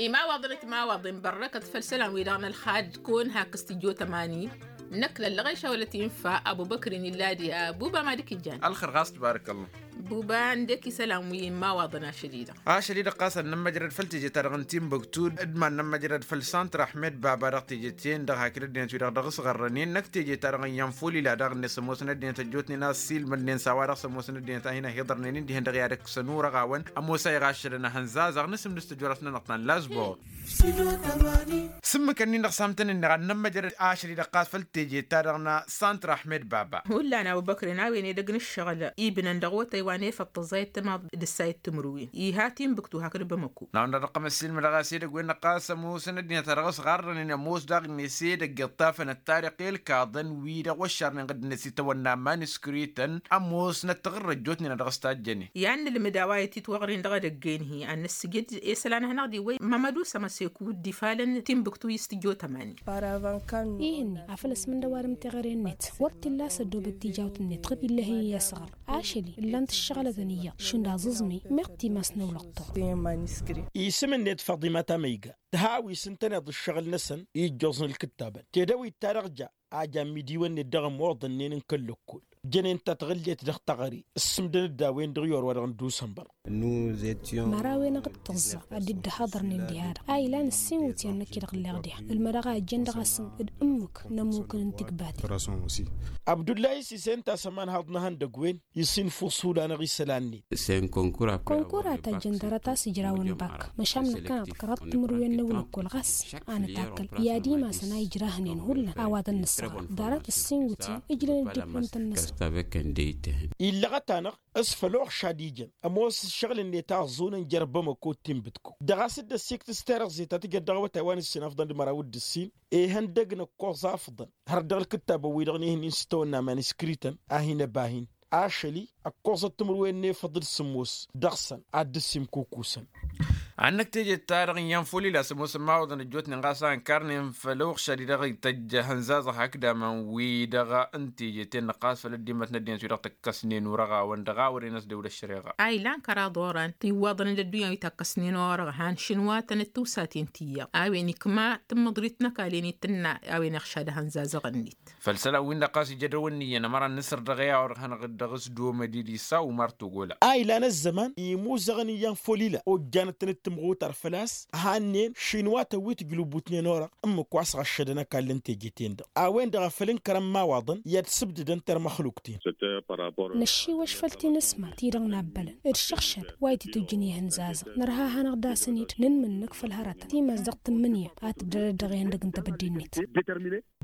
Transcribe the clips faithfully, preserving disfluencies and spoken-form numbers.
Imawaḍăn ătmawaḍen bărrăkăt făll-isălan-wi-dăɣ n-ălxad kăwăn-hak s-tijot ămani. Năkk lăllăɣ i-šawălăt infa ăbubăkrin illa diha buba ma d-ikijjan. Ălxer ɣas tbarăkăllah. Buba ǝndek isălan wi n-imawaḍăn ašăl-i-dăɣ. Ašăl-i-dăɣ ɣas ad-nămmăjrăd făll-teje-ta-dăɣ n-timbuktu d-ma n-nămmăjrăd făll-santr aḥmed baba dăɣ-teje-ten-dăɣ hakd ăddinăt-wi-dăɣ dăɣ-s ɣărrănen năkk teje-ta-dăɣ n-iyyăn folila daɣ-net s-ămoosăn ăddinăt ăjjootnen a ăssiilmădnen s-a-wa-dăɣ s-ămoosăn ăddinăt a hin-ăhiḍărnen dd-ihăn dăɣ-i ad-ăkkăsăn urăɣ-awăn ămoos a iɣaššădăn ahănzazăɣ n-asǝmdǝs tăjorăt-nănăɣ ta n-lazbor. S-ǝmmǝk-ǝnnin-dăɣ s-amtăn-ǝnneɣ ad-nămmăjrăd ašăl-i-dăɣ ɣas făll-teje-ta-dăɣ n-santr aḥmed baba. Hullan a-wa băkren a-wen edăgg n-ǝššăɣǝl ibnăn dăɣ-otăy wa n-efăḍ tăẓẓayăt timaḍ d-ǝssayăt timǝrwen iha timbǝktu hakd bamăko. N-a-wen-dăɣ dăɣ-tăm ăssiilmădăɣ a-s edăgg-wen-dăɣ ɣas ămoosăn ăddinăt-a-dăɣ s-ɣarrănen ămoos daɣ-net edăgg iṭṭafăn ăttarăɣ i-ălkaḍăn wi-dăɣ wăššarnen ɣǝddǝnet s-itawănna maniskrităn ămoosnăt taɣǝrrăt ăjjootnen a dăɣ-s tajjănen. I-ad-nǝlmǝd a-wa ititwăɣrin dăɣ-edăgg-en-hi ad-nǝssǝjǝd isălan hanăɣ-dd-iwwăy mămădu s-ămăseku dd-ifalăn timbuktu i-s tǝjot ămani. Ih'-ǝnni afăl ăsmǝndăwalăm teɣăre-net wăr t-illa a-s ăddoobăt tijawt-net ɣǝd illăh-i i-asɣăr. Ašăl-i ǝllan-t ǝššăɣǝlătăn iyyăḍ šund aẓǝẓmi meɣ timas n-ăwlăɣ-tăɣ. Isǝm-net faḍima tamăyga tǝhawis ǝntăneḍ ǝššăɣǝl-năsăn i-ǝjjoẓ n-ǝlkǝttabăn tedăwit-ta-dăɣ ja a jan imidiwăn-net dăɣ-ămoḍănnen n-kăl-lăkkol jănen tatɣǝllet dăɣ-taɣăre ǝssǝmdăn-dd a-wen-dăɣ i-orwa-dăɣ n-dusănbăr. Mărawen-aɣ d-tǝẓẓa ad-dd-ăhaḍărnen diha-dăɣ a ilan ǝssin iwǝtyan năkk-i-dăɣ ǝlleɣ diha ǝlmădăɣ a ijjăn dăɣ-asǝm d-ǝmmǝk n-ămmukăn n-tikbaten. Abdullahi s-isent a-s ămanhaḍ n-ehăndăgg-wen isinfus hullan-aɣ isălan-net. Kănkura ta ǝjjăn dăr-ătas ǝjrawăn bak măšan năkkăneḍ kăraḍ timǝrwen n-ăwlăkkol ɣas a nǝtakkăl i-ad-imasăn a ijrahnen hullan a-wa tăn-nǝssaɣăr dăr-ăt ǝssin iwǝtyan ǝjlăn dd-ibbǝntăn-năsăn. Illăɣăt-anăɣ s-făl uɣšad ijăn ămoos ǝššăɣǝl-net a ăẓẓunăn jer-bamăko d-tinbǝtko dăɣ-a-s dd-ăssiktǝs terăẓẓe ta tǝjăt dăɣ-awătay wa n-ǝssin afḍăn d-măraw d-ǝssin. Ihăndăg n-ǝkkoẓ afḍăn hărăt dăɣ-ălkǝttab ăwwidăɣ n-ehăn-in s-tawănna maniskrităn a hin-ăba hin-ašăl-i ǝkkoẓăt timǝrwen n-efăḍ d-sǝmmos dăɣ-săn ad-dd-ăssimkukusăn. Ad-năkk teje-ta-dăɣ n-iyyăn folila s-ămoosăn imawaḍăn ăjjootnen ɣas a ǝnkarnen făll-uɣšad-i-dăɣ ităjj ahănzazăɣ hakd aman-wi-dăɣ n-teje-ten-dăɣ ɣas făll-ăddimmăt n-ăddinăt-wi-dăɣ tǝkkăsnen urăɣ-awăn dăɣ-a wărăn ăsdăwlăt šăreɣa. A ilan kăraḍ oran tiwwaḍăn d-ăddunya wi takkăsnen orăɣ han šǝnwatăn d-tiwsaten ti iyyăḍ a-wen ikma tǝmmǝḍrit n-ăkall-en i-tǝnna a-wen iɣšad ahănzazăɣ-net. Făll-isălan-win-dăɣ ɣas ija dăr-wǝnniyăn ămăra n-inǝsăr dăɣ-e a orăɣ hanăɣ-dd dăɣ-s domădil isa umar togola. A ilan ăzzăman imuzăɣăn iyyăn folila ojjanăt-tăn d-tǝmɣutar făl-a-s hannen šinwatăn wi tǝjlǝbutnen orăɣ ǝmmǝk wa s-ɣăššădăn ăkall n-teje-ten-dăɣ a-wen-dăɣ a făl ǝnkărăn imawaḍăn i-ad-sǝbdǝdăn termăxlukten. Năššiwăš făll-tinǝsmar-ti-dăɣ n-abbălăn d-šăɣšăd wa itǝtujjǝn i-ihǝnzazăɣ nărha hanăɣ-dd-asăn-dd nǝnmǝnnǝk făll-hărătăn timas dăɣ-tǝmmǝnǝya a tǝbdădăd dăɣ-ihăndăg n-tebădde-net.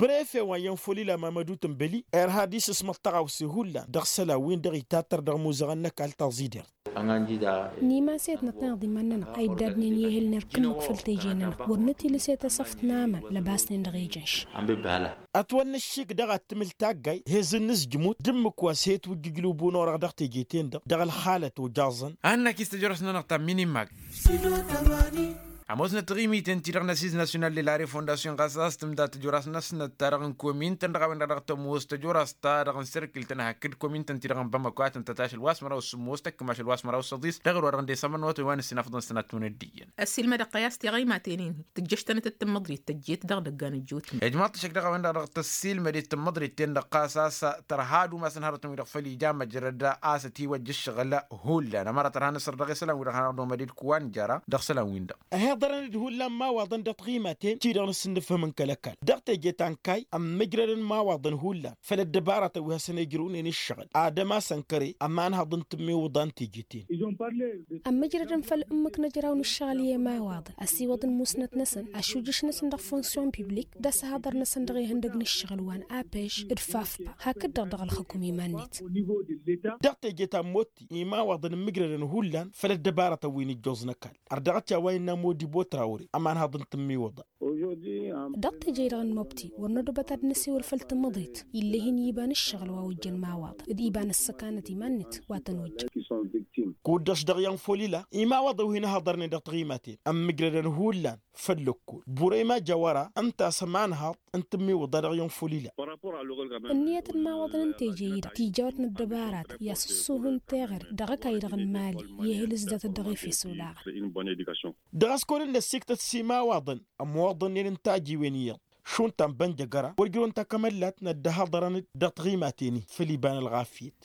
Brefe wa iyyăn folila mamădu tǝnbăli irha ad-isǝsmăḍ tăɣawse hullan dăɣ-isălan-win-dăɣ itattăr dăɣ-imuzăɣăn n-ăkall taẓidert. N-imaset năṭṭăneḍ iman-nănăɣ a iddadnen i-ehǝl n-erk ǝmmǝk făll-teje-nănăɣ wăr nǝtilǝset asăft n-aman lăbasnen dăɣ-ejănš. Ătwănna ăššik dăɣ-ad-tǝmǝl taggayt hezǝn n-asǝjmut d-ǝmmǝk wa s-he-twǝjjǝjlǝbu n-orăɣ dăɣ-teje-ten-dăɣ dăɣ-ălxalăt ojăẓăn. Ad-năkk-i s-tăjrăwt-nănăɣ ta n-minimag. Ămoosnăt tiɣimiten-ti-dăɣ n-asiz nasyonal de la refondasyon ɣas a-s tǝmda tăjorăs-năsnăt ta dăɣ-n komin-tăn dăɣ-a-wen-dăɣ dăɣ-tămoos tăjorăs ta dăɣ-n sărkǝl-tăn hakd komin-tăn-ti-dăɣ n-bamăko a tăn-tătašăl wa s-măraw s-sǝmmos tăkkăm ašăl wa s-măraw s-săḍis dăɣ-ăro-dăɣ ǝndesămăn wa tăn-wa n-ǝssin afḍăn sănat n-unăddiyyăn. Ăssiilmădăɣ-tăy a-s tiɣaymaten-in-hi tǝjjăš-tănăt d-tǝmmăḍrit tăjjet dăɣ-idăggan ăjjootnen. Ijmaḍ-t ăššăk dăɣ-a-wen-dăɣ dăɣ-tăssiilmăd i-tǝmmăḍrit-ten-dăɣ ɣas a-s tărha ad-umasăn hărătăn-wi-dăɣ făll-ija măjrăd a-s ătiwăjja ǝššăɣǝl. Hullan ămăra tărha n-asăr dăɣ-isălan-wi-dăɣ hanăɣ-nomăd d-kăwăn jăra dăɣ-isălan-win-dăɣ. Ăhiḍărăn-dd hullan imawaḍăn dăɣ-tiɣimaten-ti-dăɣ n-asǝnnǝfhǝm n-kăl-ăkall dăɣ-teje ta n-kayy ămmǝjrădăn imawaḍăn hullan făll-ăddăbarătăn wi hasăn-ijrǝwnen ǝššăɣǝl ad-ămasăn kăre ămanhăḍ n-tǝmmiwǝḍa n-teje-ten. Ămmǝjrădăn făll-ǝmmǝk n-ejraw n-ǝššăɣǝl i-imawaḍăn ăsiwăḍăn musnăt-năsăn ašujǝš-năsăn dăɣ-fonksyon piblik d-asăhaḍăr-năsăn dăɣ-ihăndăg n-ǝššăɣǝl wa n-apeš d-fafpa hakd-dăɣ dăɣ-ălxǝkum iman-net. Dăɣ-teje ta n-motti imawaḍăn ǝmmǝjrădăn hullan făll-ăddăbarătăn wi n-ǝjjoẓ n-ăkall ărdăɣăt i-a-wa innă modibo trawre ămanhăḍ n-tǝmmiwǝḍa. Dăɣ-teje-i-dăɣ n-mobti wăr nădobăt ad-năsiwăl făll-tǝmmǝḍit. Ill'-e hin-iba n-ǝššăɣǝl wa ojjăn imawaḍăn d-iba n-ăssăkanăt iman-net wa tăn-ojjăn. Kud-dăɣ-š dăɣ-i ănfulila imawaḍăn wi hin-ăhhăḍărnen dăɣ-taɣimaten ămmǝjrădăn hullan făll-ǝkkul burăy ma jawăra ǝnta a-s ămanhaḍ n-tǝmmiwǝḍa dăɣ-i ănfulila. Ǝnniyăt n-imawaḍăn n-teje-i-dăɣ tijawăt n-ăddăbaratăn i-asǝssuhǝn teɣăre dăɣ-ăkall-i-dăɣ n-imali i-ehǝl s-datăt dăɣ-efes olaɣăn. Dăɣ-a-s kăwăn-dd-ăssiiktăt s-imawaḍăn ămoḍănnen n-tajiwen iyyăḍ šund ta n-bănjăgăra wăr jărăwăn takămăllat n-ăddăhaḍărăn-dd dăɣ-taɣimaten-i făll-iba n-ălɣafyăt.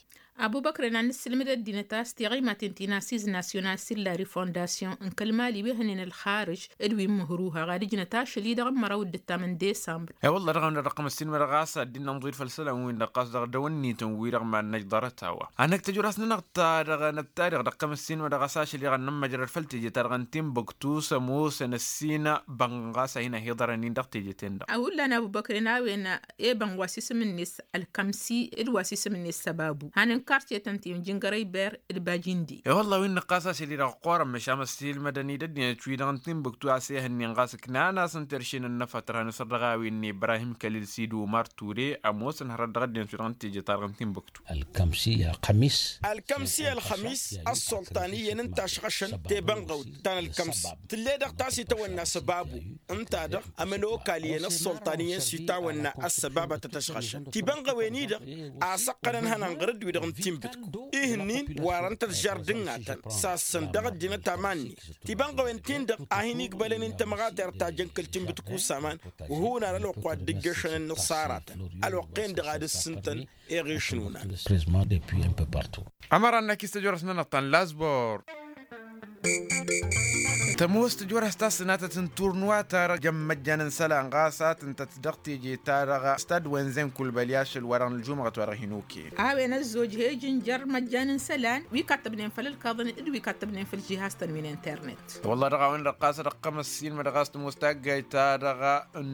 Abubăkren ad-nǝssǝlmǝd ăddinăt a-s tiɣimaten ti n-assiz nasyonal silla refondasyon n-kăl-mali wi hănen ălxarǝj d-wi n-mǝhruha ɣad ǝjnăt ašăl-i-dăɣ n-măraw d-ǝttam n-desămbr. E-wălla dăɣ-a-wen-dăɣ ăqqăm ăssiinmădăɣ a-s ad-dd-innă ănḍuyǝd făll-isălan-win dăɣ-ɣas dăɣ-dăw-ǝnnităn-wi-dăɣ mad-năj ḍarăt-a-wa. Ad-năkk tăjur-as-nănăɣ-ta-dăɣ năbtadăɣ dăɣ-kăm ăssiinmădăɣ a-s ašăl-i-dăɣ ad-nămmăjrăd făll-teje-ta-dăɣ n-tinbǝktu s-ămoosăn ăssiină bănɣas a hin-ăhiḍărăn-in dăɣ-teje-ten-dăɣ. Hullan abubăkren a-wen ebăn wa s-isǝm-net ălkămsi d-wa s-isǝm-net săbabu han n-kartyetăn ti n-jǝngărăy ber d-bajindi. E-wălla wi n-năqqas ašăl-i-dăɣ ăqqoorăn măšan ăssiilmădăn-dd ăddinăt-wi-dăɣ n-tinbǝktu a-s ehăn-in ɣas ǝknan-asăn terše n-ănnăfăt tărha n-asăr dăɣ-a-wen n-ibrahim kălil sidu umar ture ămoosăn hărăt dăɣ-ăddinăt-wi-dăɣ n-teje-ta-dăɣ n-tinbǝktu. Ălkămsi ălxămis ălsăltan iyyăn ǝnta ăšɣăšăn tebănɣăwt ta n-ălkămsi tǝll'-e-dăɣ ta s-itawănna săbabu. Ǝnta-dăɣ ămănokal iyyăn ălsăltan iyyăn s-itawănna ăssăbabatăt ăšɣăšăn tibănɣăwen-i-dăɣ a săqqănăn ihănan ɣur-dd-wi-dăɣ n-tinbǝtku. Ihǝnnin warăn-tăt žardǝngatăn sassăn dăɣ-ăddinăt aman-net tibănɣăwen-tin-dăɣ a hin-igbălăn i n-tămɣatert ta jăn kăl-tinbǝtku s-aman. Wăr hun-anălwăqq wa dd-ǝjjăšăn ǝnnǝṣṣaratăn ălwăqq-en-dăɣ ad-ǝssǝntăn eɣeš n-unan. Ămăra n-akis tăjorăs-nănăɣ ta n-lazbor. Tămoos tăjorăs ta s-sănatăt n-turnuwa ta-dăɣ jăn măjjan n-isălan ɣas a tǝntăt dăɣ-teje-ta-dăɣ stad wenzen kulbăl i-ašăl wa dăɣ-nǝljumăɣăt wa dăɣ-hin-okăyăn. A-wen ăzzoj he-ijǝnjăr măjjan n-isălan wi kattăbnen făll-ǝlkaḍăn d-wi kattăbnen făll-žihaz-tăn wi n-internet. Wălla dăɣ-a-wen-dăɣ ɣas ad-ăqqăm ăssiinmădăɣ a-s tămoos taggayt-ta-dăɣ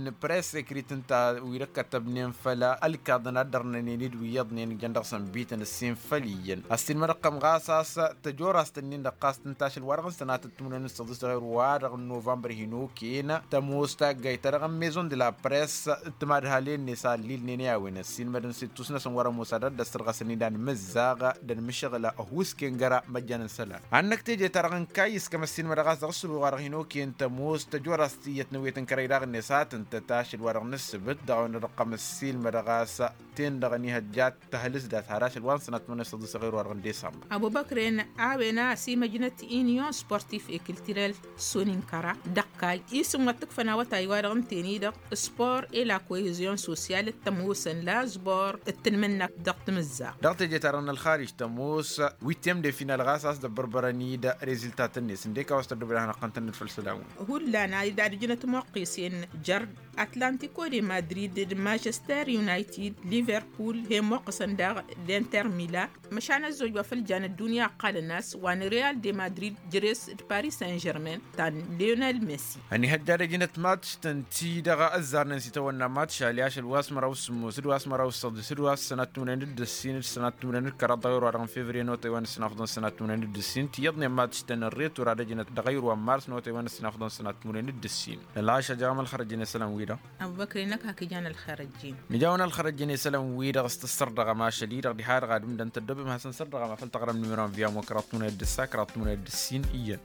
n-press ăkrit ǝnta wi-dăɣ kăttăbnen făll-ălkaḍăn a dd-ărnănen d-wi iyyăḍnen jăn dăɣ-săn bităn ǝssin făll-iyyăn ăssiinmădăɣ-tăm ɣas a-s tăjorăst-nin-dăɣ ɣas tǝnta ašăl wa dăɣ-nǝsănatăt timǝnwen n-săḍis ɣer wa dăɣ-n novămbăr hin-okăyăn tămoos taggayt-ta-dăɣ n-maison de la press d-timadhalen-net a ăllilnen i-a-wen ăssiinmădăn s-ittus-năsăn wăr-ămoos ad-ăddăs tărɣăsăn-i d-anmǝzzaɣ d-anmǝššăɣǝl ăhuusken găra măjjan n-isălan. Ad-năkk teje-ta-dăɣ n-kayy s-kămăssin mădăɣas dăɣ-s ălwăɣ-dăɣ hin-okăyăn tămoos tăjorăst iyyăt n-ewet n-kărăy daɣ-net a tǝntăt ašăl wa dăɣ-nǝssǝbǝt dăɣ-a-wen-dăɣ ăqqăm ăssiilmădăɣ a-s ten-dăɣ ănihăjja ad-tăhǝlǝs dat har ašăl wa n-sănat mănăs tăḍǝs ăɣir wa dăɣ-n desămbăr. Ăbubăkren a-wen a ăsimăjnăt union sportif e kiltirel soninkăra dăɣ-kayy isǝm wa t-ǝkfăn awătay wa dăɣ-ǝnten-i-dăɣ spor e la koezion sosyal d-tămoosăn la zbor d-tǝnmǝnnakt dăɣ-timǝzzaɣt. Dăɣ-teje-ta-dăɣ n-ălxarij tămoos wittem de final ɣas a-s dăbbărbărăn-dd reziltatăn-net ǝndek a-wa s-tăddobed ad-hanăɣ-tăn-tănnăd făll-isălan-wen. Hullan a idad ǝjnăt imoqqesen jer-atlantiko de madrid d-manchester united liverpul he-imoqqăsăn daɣ d-inter mila. Măšan ăzzoj wa făll-jan ăddunya ăqqalăn-as wa n-real de madrid jere-s d-paris saint-germain ta n-lionel messi. Ănihăjja ad-ăjnăt matš-tăn ti-dăɣ ăzzarnen s-itawănna matš ali ašăl wa s-măraw s-sǝmmos d-wa s-măraw s-săḍis d-wa s-sănat timǝnwen d-ǝssin d-sănat timǝnwen d-kăraḍ dăɣ-ewăr wa dăɣ-n fevriye n-otay wa n-ǝssin afḍăn sănat timǝnwen d-ǝssin tiyyăḍnen matš-tăn n-retur ad-ăjnăt dăɣ-ayǝr wa n-mars n-otay wa n-ǝssin afḍăn sănat timǝnwen d-ǝssin. Nălašăj a-wa m-ălxărăjjăn isălan-wi-dăɣ. Ăbubăkri-năk hakd ija n-ălxărăjjăn. Nǝja-wăn ălxărăjjăn isălan-wi-dăɣ s-tăssărdăɣăm ašăl-i-dăɣ diha-dăɣ ad-ǝmdăn tăddobem hasăn-sărdăɣăm afăl taɣrăm numero n-viya n-wa kăraḍ timǝnwen d-ǝssa kăraḍ timǝnwen d-ǝssin iyyăn.